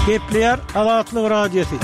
Gepleýär Azatlyk Radiosy.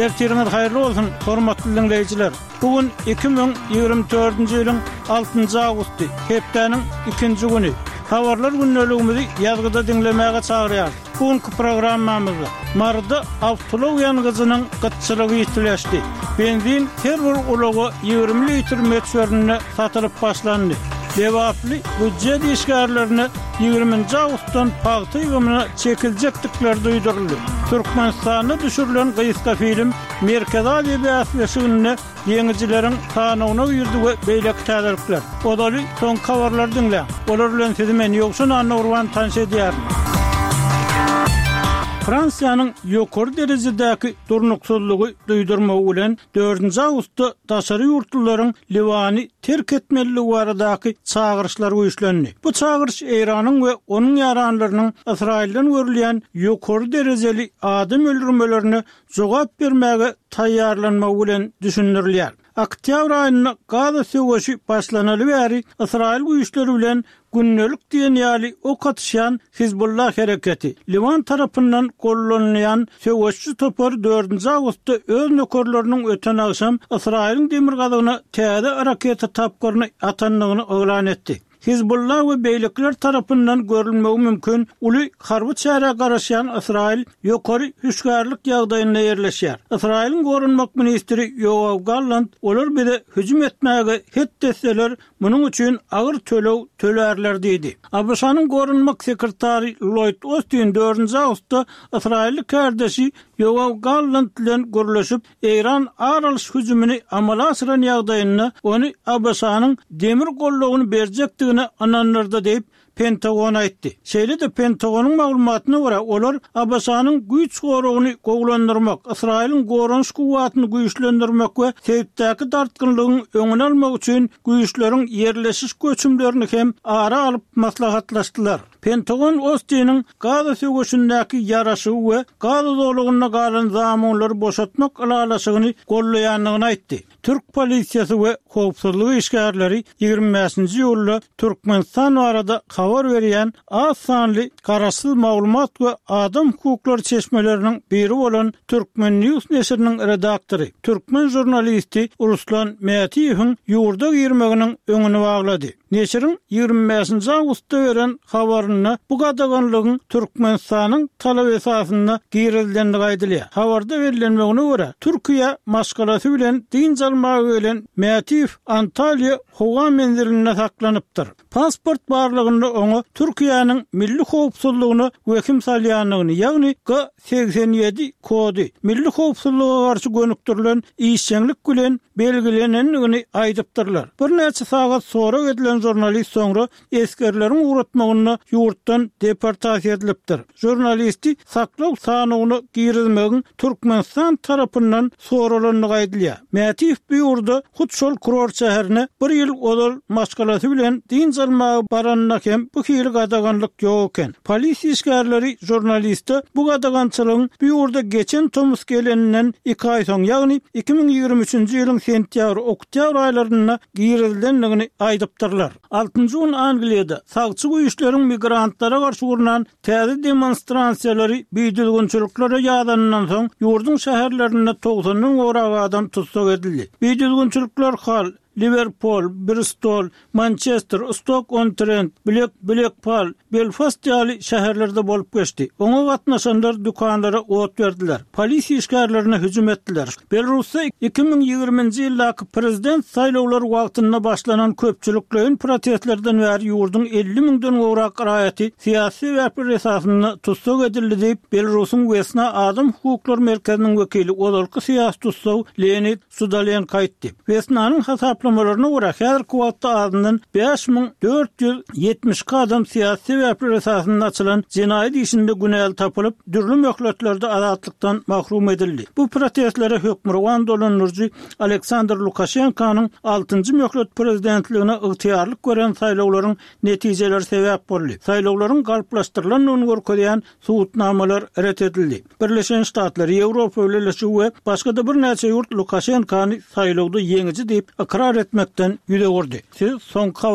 Ertiriňiz haýyrly bolsun, hormatly diňleýjiler! Bu gün 2024-nji ýylyň altynjy awgusty, hepdäniň ikinji güni. Habarlar gündeligimizi ýazgyda diňlemäge çagyrýarys. Bu günki programmamyzda Maryda awtoulag ýangyjynyň gytçylygy ýitileşdi. Benzin her bir ulaga 20 litr möçberinde satylyp başlandy. Lebaply býujet işgärlerine ýigriminji awgustdan pagta ýygymyna çekiljekdikleri duýduryldy. Türkmenistanda düşürilen gysga film Merkezi Aziýa bäsleşiginde ýeňijileriň sanawyna girdi we beýleki täzelikler. Ozaly soňky habarlary diňläň. Olar bilen sizi men Ýowşan Annagurban tanyş edýärin. Fransiýanyň ýokary derejedäki durnuksyzlygy duýdurmagy bilen dördünji awgustda daşary ýurtlularyň Liwany terk etmelidigi baradaky çagyryşlar güýçlendi. Bu çagyryş Eýranyň we onuň ýaranlarynyň Ysraýyldan görülýän ýokary derejeli adam öldürmelerine jogap bermäge taýýarlanmagy bilen düşündirilýär. Oktýabr aýynda Gaza söweşi başlanaly bäri Ysraýyl güýçleri bilen gündelik diýen ýaly ok atyşýan Hizbullah hereketi, Liwan tarapyndan gollanylýan söweşçi topar dördünji awgustda öz nökerleriniň öten agşam Ysraýylyň demirgazygyna täze raketa tapgyryny atandygyny yglan etdi. Hizbullah we beýlekiler tarapyndan görülmegi mümkin uly harby çärä garaşýan Ysraýyl ýokary hüşgärlik ýagdaýynda ýerleşýär. Ysraýylyň goranmak ministri Ýoaw Gallant olar bize hüjüm etmäge het etseler, munuň üçin agyr töleg tölärler diýdi. ABŞ-nyň goranmak sekretary Lloýd Ostin dördünji awgustda ysraýylly kärdeşi Ýoaw Gallant bilen gürleşip, Eýran ar alyş hüjümini amala aşyran ýagdaýynda ony ABŞ-nyň demir goldawyny berjekdigine ynandyrdy diýip, Pentagon aýtdy. Şeýle-de Pentagonyň maglumatyna görä, olar ABŞ-nyň güýç goragyny gowulandyrmak, Ysraýylyň goranyş kuwwatyny güýçlendirmek we sebitdäki dartgynlygyň öňüni almak üçin güýçleriň ýerleşiş göçümlerini hem ara alyp maslahatlaşdylar. Pentagon Ostiniň Gaza söweşindäki ýaraşygy we Gaza zolagynda galan zamunlary boşatmak ylalaşygyny goldaýandygyny aýtdy. Türk polisiýasy we howpsuzlyk işgärleri 25-nji iýulda Türkmenistan barada habar berýän az sanly garaşsyz maglumat we adam hukuklary çeşmeleriniň biri bolan Turkmen News neşiriniň redaktory, türkmen žurnalisti Ruslan Mätiýewiň ýurda girmeginiň öňüni baglady. Neşiriň 25-nji awgustda beren habarynda bu gadaganlygyň Türkmenistanyň talaby esasynda girizilendigi aýdylýar. Habarda bellenmegine görä, Türkiýä maşgalasy bilen dynç almaga gelen Mätiýew Antalýa howa menzilinde saklanypdyr. Pasport barlagynda oňa Türkiýäniň milli howpsuzlygyna wehim salýandygyny, ýagny G 87 kody, milli howpsuzlyga garşy gönükdirilen işjeňlik bilen belgilenendigini aýdypdyrlar. Birnäçe sagat sorag edilen žurnalist soňra esgerleriň ugratmagynda ýurtdan deportasiýa edilipdir. Žurnalisti saklaw sanawyna girizmegiň Türkmenistan tarapyndan soralandygy aýdylýar. Mätiýew bu ýurda hut şol kurort şäherine bir ýyl ozal maşgalasy bilen dynç almaga baranynda hem bu hili gadaganlyk ýok eken. Polisiýa işgärleri žurnaliste bu gadagançylygyň bu ýurda geçen tomus geleninden iki aý soň, ýagny 2023-nji ýylyň sentýabr-oktýabr aýlarynda girizilendigini aýdypdyrlar. Altynjy gün Angliýada sagçy güýçleriň migrantlara garşy gurnan täze demonstrasiýalary bidüzgünçiliklere ýazanyndan soň, ýurduň şäherlerinde togsandan gowrak adam tussag edildi. Bidüzgünçilikler Hall, Liwerpul, Bristol, Mançester, Stok-on-Trent, Blek, Blekpal, Belfast ýaly şäherlerde bolup geçdi. Oňa gatnaşanlar dükanlara ot berdiler, polisiýa işgärlerine hüjüm etdiler. Belarusda 2020-nji ýyldaky prezident saýlawlary wagtynda başlanan köpçülikleýin protestlerden bäri ýurduň 50 müňden gowrak raýaty syýasy sebäpler esasynda tussag edildi diýip, Belarusyň Wesna adam hukuklary merkeziniň wekili, ozalky syýasy tussag Leonid Sudalenko aýtdy. Wesnanyň hasaplamalaryna görä, häzirki wagtda azyndan 5472 adam syýasy sebäpler esasynda açylan jenaýat işinde günäli tapylyp, dürli möhletlerde azatlykdan mahrum edildi. Bu protestlere hökmürowan dolandyryjy Aleksandr Lukaşenkonyň altynjy möhlet prezidentligine ygtyýarlyk beren saýlawlaryň netijeleri sebäp boldy. Saýlawlaryň galplaşdyrylandygyny görkezýän Subutnamalar ret edildi. Birleşen Ştatlar, Ýewropa Bileleşigi we başga-da birnäçe ýurt Lukaşenkany saýlawda ýeňiji diýip ykrar etmekden ýüz öwürdi. Siz soňky habar.